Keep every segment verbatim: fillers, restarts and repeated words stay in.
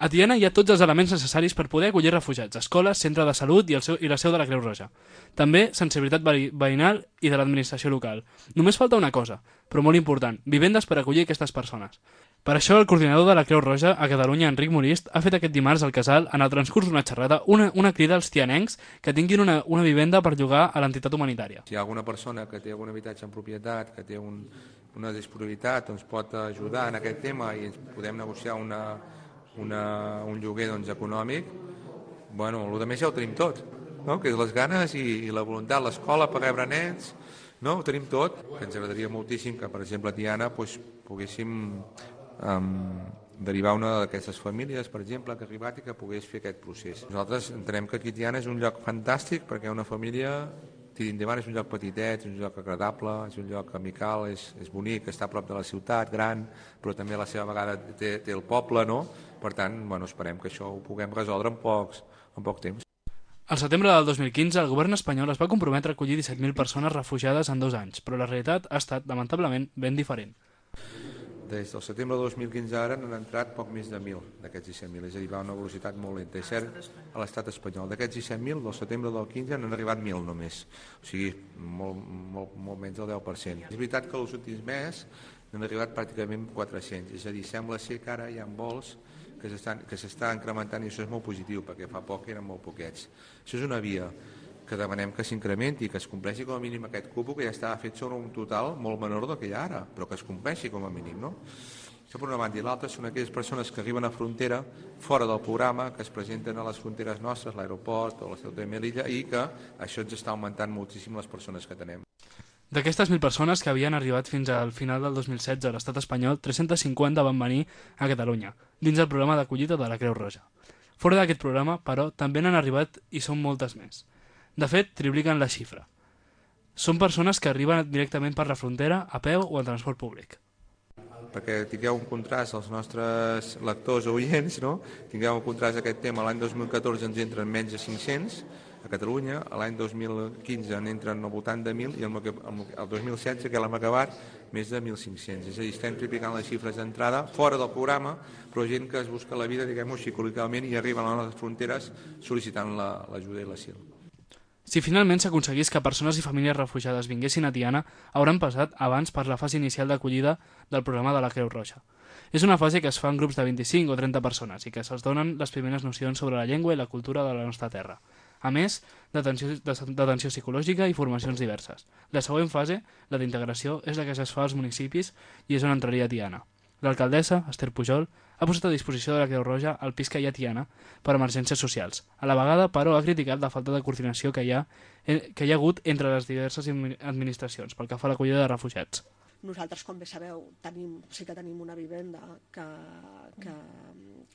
A Tiana hi ha tots els elements necessaris per poder acollir refugiats, escoles, centre de salut i, el seu, i la seu de la Creu Roja. També sensibilitat veïnal i de l'administració local. Només falta una cosa, però molt important, vivendes per acollir aquestes persones. Per això el coordinador de la Creu Roja a Catalunya, Enric Morist, ha fet aquest dimarts al Casal, en el transcurs d'una xerrada, una, una crida als tianencs que tinguin una, una vivenda per llogar a l'entitat humanitària. Si hi ha alguna persona que té algun habitatge en propietat, que té un, una disponibilitat, ens pot ajudar en aquest tema i ens podem negociar una, una, un lloguer doncs, econòmic, bueno, el que més ja ho tenim tot, no? Que és les ganes i, i la voluntat, l'escola per rebre nens, no? Ho tenim tot, que ens agradaria moltíssim que, per exemple, a Tiana doncs, poguéssim um, derivar una d'aquestes famílies, per exemple, que ha arribat i que pogués fer aquest procés. Nosaltres entenem que aquí Tiana és un lloc fantàstic perquè una família tiri endavant, és un lloc petitet, és un lloc agradable, és un lloc amical, és, és bonic, està a prop de la ciutat, gran, però també a la seva vegada té, té el poble, no? Per tant, bueno, esperem que això ho puguem resoldre en, pocs, en poc temps. Al setembre del dos mil quinze, el govern espanyol es va comprometre a acollir disset mil persones refugiades en dos anys, però la realitat ha estat, lamentablement, ben diferent. Des del setembre de dos mil quinze ara n'han entrat poc més de mil d'aquests disset mil, és a dir, va a una velocitat molt lenta. És cert, a l'estat espanyol. D'aquests disset mil, del setembre del quinze n'han arribat mil només, o sigui, molt, molt, molt menys del deu per cent. És veritat que els últims mesos n'han arribat pràcticament quatre-cents, és a dir, sembla ser que ara hi ha vols que s'està incrementant i això és molt positiu, perquè fa poc eren molt poquets. Això és una via que demanem que s'incrementi, que es compleixi com a mínim aquest cupo que ja estava fet sobre un total molt menor del que hi ha ara, però que es compleixi com a mínim, no? Això per una banda, i l'altra són aquelles persones que arriben a frontera fora del programa, que es presenten a les fronteres nostres, l'aeroport o la Ceuta i Melilla, i que això ens està augmentant moltíssim les persones que tenem. D'aquestes mil persones que havien arribat fins al final del dos mil setze a l'estat espanyol, tres-centes cinquanta van venir a Catalunya, dins del programa d'acollida de la Creu Roja. Fora d'aquest programa, però, també n'han arribat i són moltes més. De fet, tripliquen la xifra. Són persones que arriben directament per la frontera, a peu o en transport públic. Perquè tingueu un contrast als nostres lectors o oients, no? Tingueu un contrast d'aquest tema, l'any dos mil catorze ens entren menys de cinc-cents a Catalunya, l'any dos mil quinze n'entren al voltant de mil i el, el dos mil setze, que l'hem acabat, més de mil cinc-cents. És a dir, estem triplicant les xifres d'entrada fora del programa, però gent que es busca la vida, diguem-ho així, col·loquialment, i arriben a les nostres fronteres sol·licitant l'ajuda i l'asil. Si finalment s'aconseguís que persones i famílies refugiades vinguessin a Tiana, hauran passat abans per la fase inicial d'acollida del programa de la Creu Roja. És una fase que es fa en grups de vint-i-cinc o trenta persones i que se'ls donen les primeres nocions sobre la llengua i la cultura de la nostra terra. A més, d'atenció psicològica i formacions diverses. La següent fase, la d'integració, és la que es fa als municipis i és on entraria Tiana. L'alcaldessa, Esther Pujol, ha posat a disposició de la Creu Roja el pis que hi ha a Tiana per emergències socials. A la vegada, però, ha criticat la falta de coordinació que hi ha, que hi ha hagut entre les diverses administracions pel que fa a l'acollida de refugiats. Nosaltres, com bé sabeu, tenim, sí que tenim una vivenda que, que,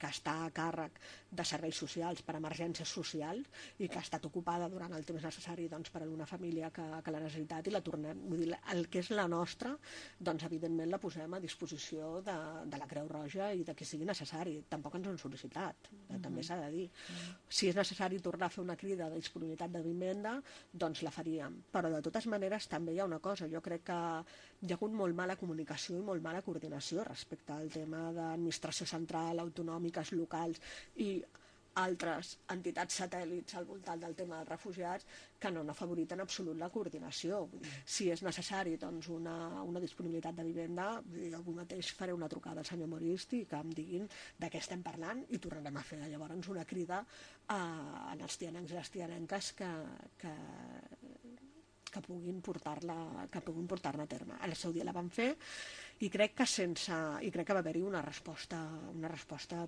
que està a càrrec de serveis socials per emergències socials i que ha estat ocupada durant el temps necessari doncs, per a una família que, que l'ha necessitat i la tornem. Vull dir, el que és la nostra, doncs evidentment la posem a disposició de, de la Creu Roja i de qui sigui necessari. Tampoc ens ho han sol·licitat, mm-hmm. també s'ha de dir. Mm-hmm. Si és necessari tornar a fer una crida de disponibilitat de vivenda, doncs la faríem. Però de totes maneres també hi ha una cosa, jo crec que hi ha hagut molt mala comunicació i molt mala coordinació respecte al tema d'administració central, autonòmiques, locals i altres entitats satèl·lits al voltant del tema dels refugiats que no han afavorit en absolut la coordinació. Si és necessari doncs, una, una disponibilitat de vivenda, jo avui mateix faré una trucada al senyor Morist i que em diguin de què estem parlant i tornarem a fer llavors una crida a, a els tianencs i les tianenques que, que que puguin portar-la que puguin portar-la a terme. Al seu dia la van fer i crec que sense i crec que va haver-hi una resposta una resposta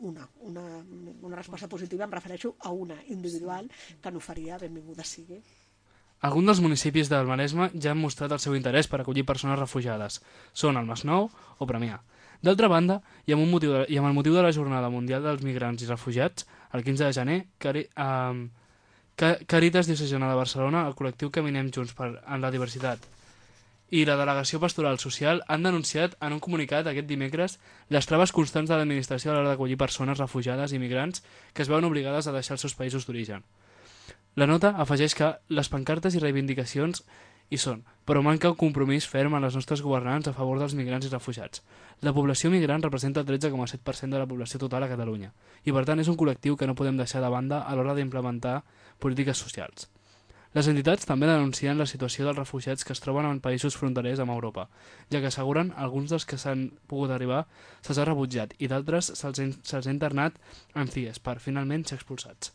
una, una, una resposta positiva, em refereixo a una individual que no faria, benvinguda sigui. Alguns dels municipis del Maresme ja han mostrat el seu interès per acollir persones refugiades. Són el Masnou o Premià. D'altra banda, i amb, un motiu de, i amb el motiu de la Jornada Mundial dels Migrants i Refugiats, el quinze de gener, que eh, Càritas Diocesana de Barcelona, el col·lectiu Caminem Junts per en la Diversitat i la Delegació Pastoral Social han denunciat en un comunicat aquest dimecres les traves constants de l'administració a l'hora d'acollir persones refugiades i migrants que es veuen obligades a deixar els seus països d'origen. La nota afegeix que les pancartes i reivindicacions Hi són, però manca un compromís ferm en les nostres governants a favor dels migrants i refugiats. La població migrant representa el tretze coma set per cent de la població total a Catalunya i, per tant, és un col·lectiu que no podem deixar de banda a l'hora d'implementar polítiques socials. Les entitats també denuncien la situació dels refugiats que es troben en països fronterers amb Europa, ja que asseguren alguns dels que s'han pogut arribar se'ls ha rebutjat i d'altres se'ls se ha internat en C I E S per finalment ser expulsats.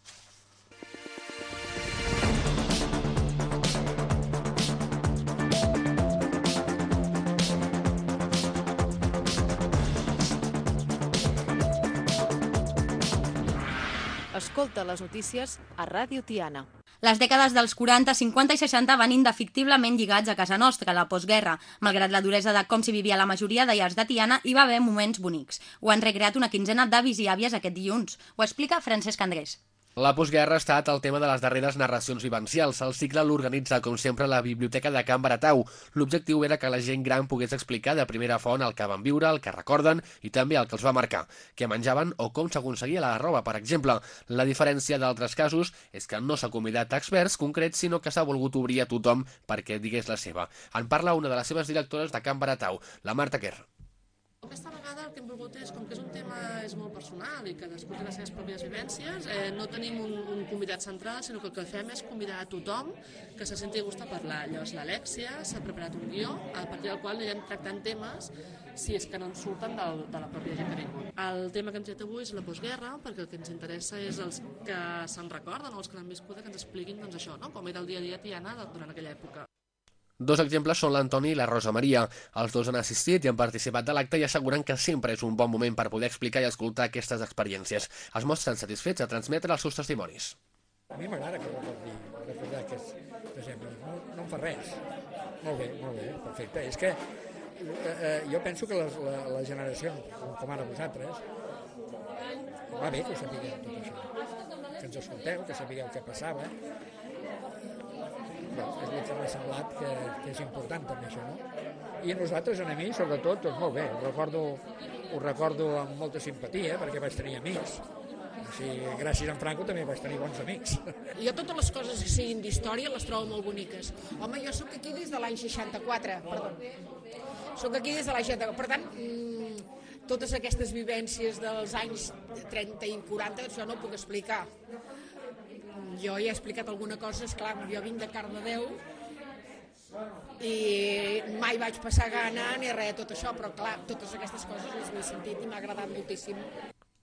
Escolta les notícies a Ràdio Tiana. Les dècades dels quaranta, cinquanta i seixanta van indefectiblement lligats a casa nostra, a la postguerra. Malgrat la duresa de com s'hi vivia la majoria de llars de Tiana, hi va haver moments bonics. Ho han recreat una quinzena d'avis i àvies aquest dilluns. Ho explica Francesc Andrés. La postguerra ha estat el tema de les darreres narracions vivencials. El cicle l'organitza, com sempre, la Biblioteca de Can Baratau. L'objectiu era que la gent gran pogués explicar de primera font el que van viure, el que recorden i també el que els va marcar, què menjaven o com s'aconseguia la roba, per exemple. La diferència d'altres casos és que no s'ha convidat a experts concrets, sinó que s'ha volgut obrir a tothom perquè digués la seva. En parla una de les seves directores de Can Baratau, la Marta Quer. Aquesta vegada el que hem volgut és, com que és un tema és molt personal i cadascú té les seves pròpies vivències, eh, no tenim un, un convidat central, sinó que el que fem és convidar a tothom que se senti a gust a parlar. Llavors l'Alèxia s'ha preparat un guió a partir del qual anirem tractant temes si és que no ens surten del, de la pròpia gent que ha vingut. El tema que hem tret avui és la postguerra, perquè el que ens interessa és els que se'n recorden o els que l'han viscut que ens expliquin doncs, això, no? Com era el dia a dia a Tiana durant aquella època. Dos exemples són l'Antoni i la Rosa Maria. Els dos han assistit i han participat de l'acte i asseguren que sempre és un bon moment per poder explicar i escoltar aquestes experiències. Es mostren satisfets a transmetre els seus testimonis. A mi m'agrada que recordi, recordar aquests exemples. No, no em fa res. Molt bé, molt bé, perfecte. És que eh, jo penso que les, la, la generació, com ara vosaltres, va bé que ho sapigueu tot això. Que ens escolteu, que sapigueu què passava. Bé, és el que m'ha semblat que, que és important també això, no? I a nosaltres, a mi, sobretot, doncs molt bé, ho recordo, ho recordo amb molta simpatia, perquè vaig tenir amics. Així, gràcies a en Franco també vaig tenir bons amics. Jo totes les coses que siguin d'història les trobo molt boniques. Home, jo sóc aquí des de l'any seixanta-quatre, perdó. Sóc aquí des de l'any seixanta-quatre, per tant, mmm, totes aquestes vivències dels anys trenta i quaranta, això no ho puc explicar. Jo ja he explicat alguna cosa, esclar, jo vinc de Cardedeu i mai vaig passar gana ni res de tot això, però clar, totes aquestes coses les he sentit i m'ha agradat moltíssim.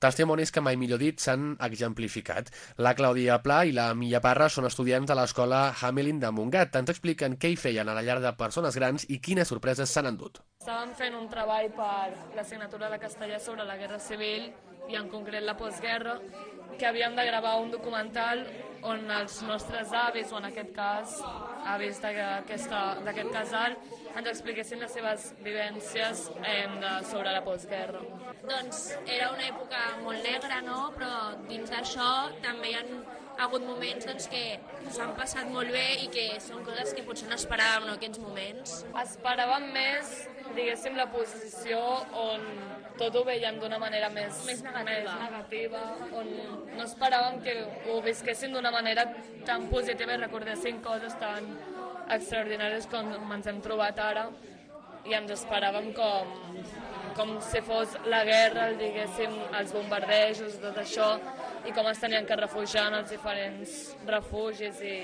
Testimonis que mai millor dit s'han exemplificat. La Clàudia Pla i la Milla Parra són estudiants de l'escola Hamelin de Montgat. Ens expliquen què hi feien a la llar de persones grans i quines sorpreses s'han endut. Estàvem fent un treball per l'assignatura de castellà sobre la Guerra Civil i en concret la postguerra, que havíem de gravar un documental on els nostres avis, o en aquest cas avis d'aquest casal, ens expliquessin les seves vivències eh, de, sobre la postguerra. Doncs era una època molt negra, no? Però dins d'això també hi ha hagut moments doncs, que s'han passat molt bé i que són coses que potser no esperàvem en aquests moments. Esperàvem més, diguéssim, la posició on tot ho veiem d'una manera més, més negativa. més negativa, on no esperàvem que ho visquessin d'una manera tan positiva i recordessin coses tan extraordinàries com ens hem trobat ara, i ens esperàvem com, com si fos la guerra, el, diguéssim, els bombardejos, tot això, i com es tenien que refugiar en els diferents refugis i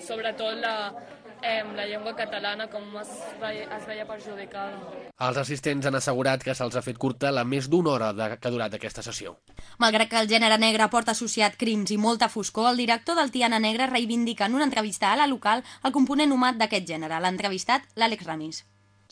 sobretot la, eh, la llengua catalana, com es veia, es veia perjudicada. Els assistents han assegurat que se'ls ha fet curta la més d'una hora de, que ha durat aquesta sessió. Malgrat que el gènere negre porta associat crims i molta foscor, el director del Tiana Negre reivindica en una entrevista a La Local el component humà d'aquest gènere. L'ha entrevistat l'Àlex Ramis.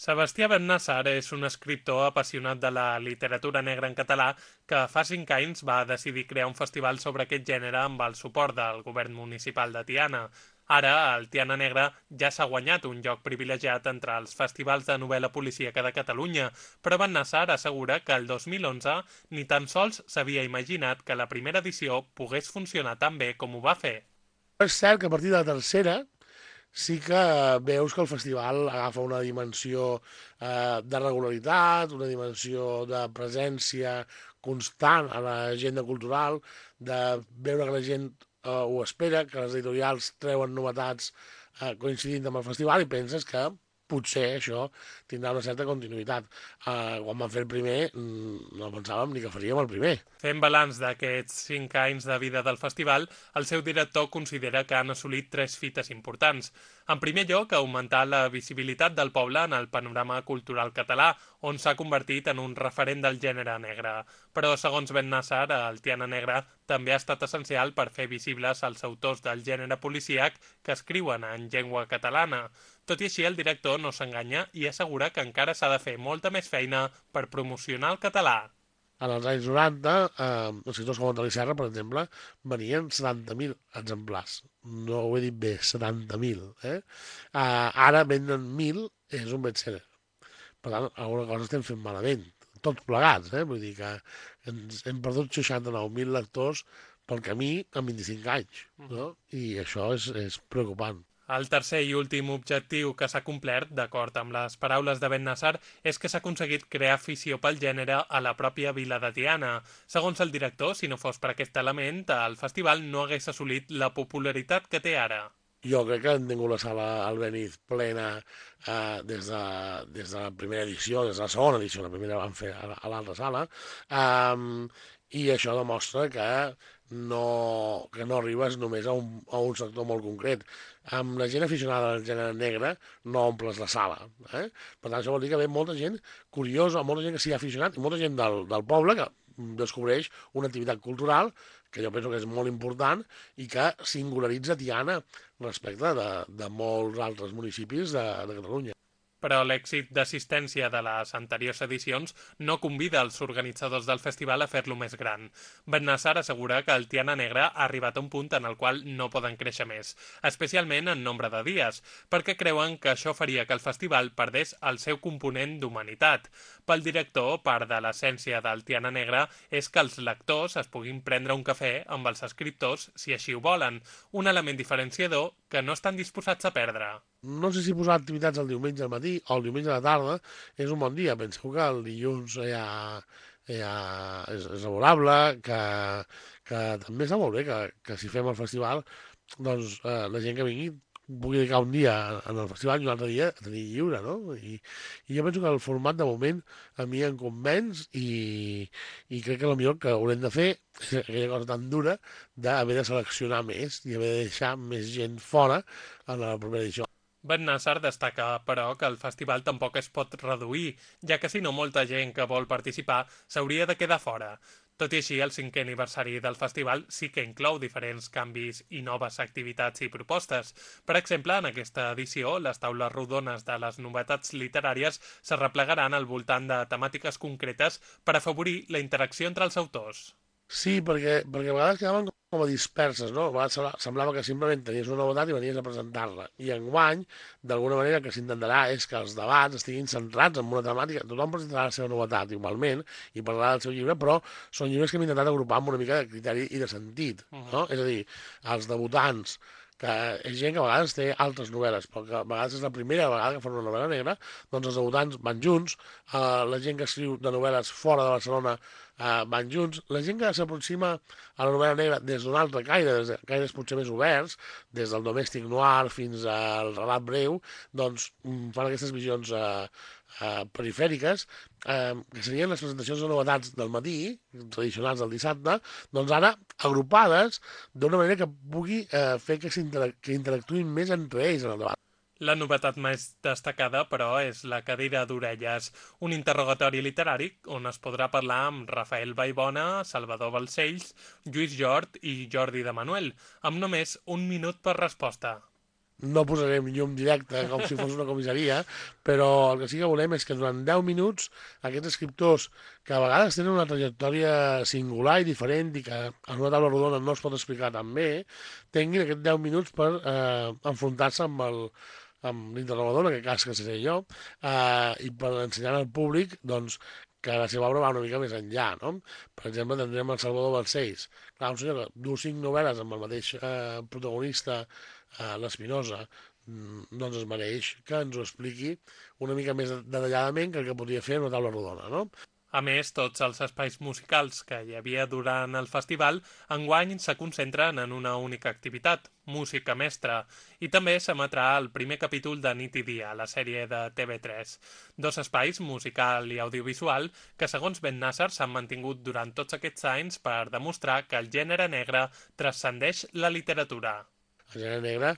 Sebastià Bernnassar és un escriptor apassionat de la literatura negra en català que fa cinc anys va decidir crear un festival sobre aquest gènere amb el suport del govern municipal de Tiana. Ara, el Tiana Negre ja s'ha guanyat un lloc privilegiat entre els festivals de novel·la policíaca de Catalunya, però Bernnassar assegura que el dos mil onze ni tan sols s'havia imaginat que la primera edició pogués funcionar tan bé com ho va fer. És cert que a partir de la tercera sí que veus que el festival agafa una dimensió eh, de regularitat, una dimensió de presència constant a l'agenda cultural, de veure que la gent eh, ho espera, que les editorials treuen novetats eh, coincidint amb el festival i penses que potser això tindrà una certa continuïtat. Uh, quan vam fer el primer, no pensàvem ni que faríem el primer. Fent balanç d'aquests cinc anys de vida del festival, el seu director considera que han assolit tres fites importants. En primer lloc, augmentar la visibilitat del poble en el panorama cultural català, on s'ha convertit en un referent del gènere negre. Però, segons Ben Nassar, el Tiana Negra també ha estat essencial per fer visibles els autors del gènere policíac que escriuen en llengua catalana. Tot i així, el director no s'enganya i assegura que encara s'ha de fer molta més feina per promocionar el català. En els anys noranta, eh, els escriptors com Antoni Serra, per exemple, venien setanta mil exemplars. No ho he dit bé, setanta mil. Eh? Eh, ara venen mil, és un bestseller. Per tant, alguna cosa estem fent malament. Tots plegats, eh? Vull dir que ens hem perdut seixanta-nou mil lectors pel camí en vint-i-cinc anys. No? I això és, és preocupant. El tercer i últim objectiu que s'ha complert, d'acord amb les paraules de Ben Nassar, és que s'ha aconseguit crear afició pel gènere a la pròpia vila de Tiana. Segons el director, si no fos per aquest element, el festival no hagués assolit la popularitat que té ara. Jo crec que han tingut la sala Albéniz plena eh, des, de, des de la primera edició, des de la segona edició, la primera van fer a, a l'altra sala, eh, i això demostra que no, que no arribes només a un, a un sector molt concret. Amb la gent aficionada al gènere negre no omples la sala. Eh? Per tant, això vol dir que ve molta gent curiosa, molta gent que s'hi ha aficionat i molta gent del, del poble que descobreix una activitat cultural que jo penso que és molt important i que singularitza Tiana respecte de, de molts altres municipis de, de Catalunya. Però l'èxit d'assistència de les anteriors edicions no convida els organitzadors del festival a fer-lo més gran. Ben Nassar assegura que el Tiana Negra ha arribat a un punt en el qual no poden créixer més, especialment en nombre de dies, perquè creuen que això faria que el festival perdés el seu component d'humanitat. Pel director, part de l'essència del Tiana Negra és que els lectors es puguin prendre un cafè amb els escriptors si així ho volen, un element diferenciador que no estan disposats a perdre. No sé si posar activitats el diumenge al matí o el diumenge a la tarda és un bon dia. Penseu que el dilluns ja, ja és, és laborable, que, que també està molt bé que, que si fem el festival, doncs eh, la gent que vingui pugui dedicar un dia en el festival i un altre dia a tenir lliure, no? I, i jo penso que el format de moment a mi em convenç i, i crec que el millor que haurem de fer és aquella cosa tan dura d'haver de seleccionar més i haver de deixar més gent fora en la propera edició. Ben Nassar destaca, però, que el festival tampoc es pot reduir, ja que si no molta gent que vol participar s'hauria de quedar fora. Tot i així, el cinquè aniversari del festival sí que inclou diferents canvis i noves activitats i propostes. Per exemple, en aquesta edició, les taules rodones de les novetats literàries se replegaran al voltant de temàtiques concretes per afavorir la interacció entre els autors. Sí, perquè, perquè a vegades quedaven com a disperses, no? A vegades semblava que simplement tenies una novetat i venies a presentar-la. I enguany, d'alguna manera, el que s'intentarà és que els debats estiguin centrats en una temàtica. Tothom presentarà la seva novetat, igualment, i parlarà del seu llibre, però són llibres que hem intentat agrupar amb una mica de criteri i de sentit, no? És a dir, els debutants, que és gent que a vegades té altres novel·les, però que a vegades és la primera vegada que fan una novel·la negra, doncs els debutants van junts, eh, la gent que escriu de novel·les fora de Barcelona eh, van junts, la gent que s'aproxima a la novel·la negra des d'un altre caire, des de caires potser més oberts, des del domèstic noir fins al relat breu, doncs fan aquestes visions eh, eh, perifèriques, eh, que serien les presentacions de novetats del matí, tradicionals del dissabte, doncs ara agrupades d'una manera que pugui eh, fer que, que interactuïn més entre ells en el debat. La novetat més destacada, però, és la cadira d'orelles, un interrogatori literari on es podrà parlar amb Rafael Vallbona, Salvador Balcells, Lluís Jort i Jordi de Manuel, amb només un minut per resposta. No posarem llum directe com si fos una comissaria, però el que sí que volem és que durant deu minuts aquests escriptors que a vegades tenen una trajectòria singular i diferent i que en una taula rodona no es pot explicar tan bé, tinguin aquests deu minuts per eh, enfrontar-se amb el amb l'interrogador, en aquest cas que seré jo, eh, i per ensenyar al públic doncs, que la seva obra va una mica més enllà, no? Per exemple, tindrem el Salvador Balcells. Clar, un senyor que du cinc novel·les amb el mateix eh, protagonista, eh, l'Espinosa, doncs es mereix que ens ho expliqui una mica més detalladament que el que podria fer en una taula rodona, no? A més, tots els espais musicals que hi havia durant el festival enguany se concentren en una única activitat, música mestra, i també s'emetrà el primer capítol de Nit i Dia, la sèrie de T V tres. Dos espais, musical i audiovisual, que segons Ben Nasser s'han mantingut durant tots aquests anys per demostrar que el gènere negre transcendeix la literatura. El gènere negre,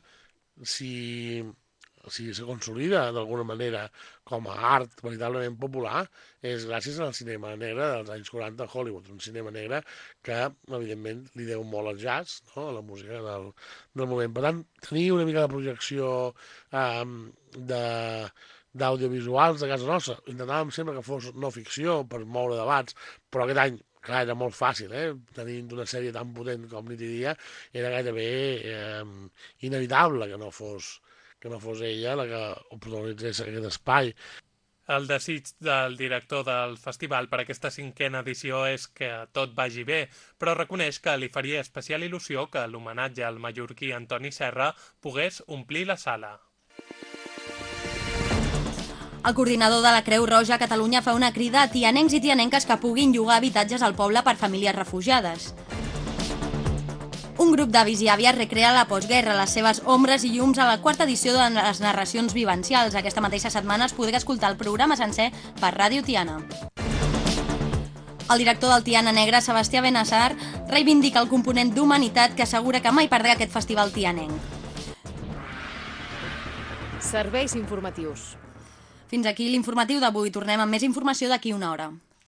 si... si se consolida d'alguna manera com a art veritablement popular, és gràcies al cinema negre dels anys quaranta a Hollywood, un cinema negre que, evidentment, li deu molt al jazz, no? A la música del, del moment. Per tant, tenir una mica de projecció eh, de d'audiovisuals de casa nostra. Intentàvem sempre que fos no ficció per moure debats, però aquest any, clar, era molt fàcil, eh? Tenint una sèrie tan potent com Nit i Dia, era gairebé eh, inevitable que no fos que no fos ella la que protagonitzés aquest espai. El desig del director del festival per aquesta cinquena edició és que tot vagi bé, però reconeix que li faria especial il·lusió que l'homenatge al mallorquí Antoni Serra pogués omplir la sala. El coordinador de la Creu Roja a Catalunya fa una crida a tianencs i tianenques que puguin llogar habitatges al poble per famílies refugiades. Un grup d'avis i àvies recrea la postguerra, les seves ombres i llums a la quarta edició de les narracions vivencials. Aquesta mateixa setmana es podrà escoltar el programa sencer per Ràdio Tiana. El director del Tiana Negre, Sebastià Benassar, reivindica el component d'humanitat que assegura que mai perdrà aquest festival tianenc. Serveis informatius. Fins aquí l'informatiu d'avui. Tornem amb més informació d'aquí una hora.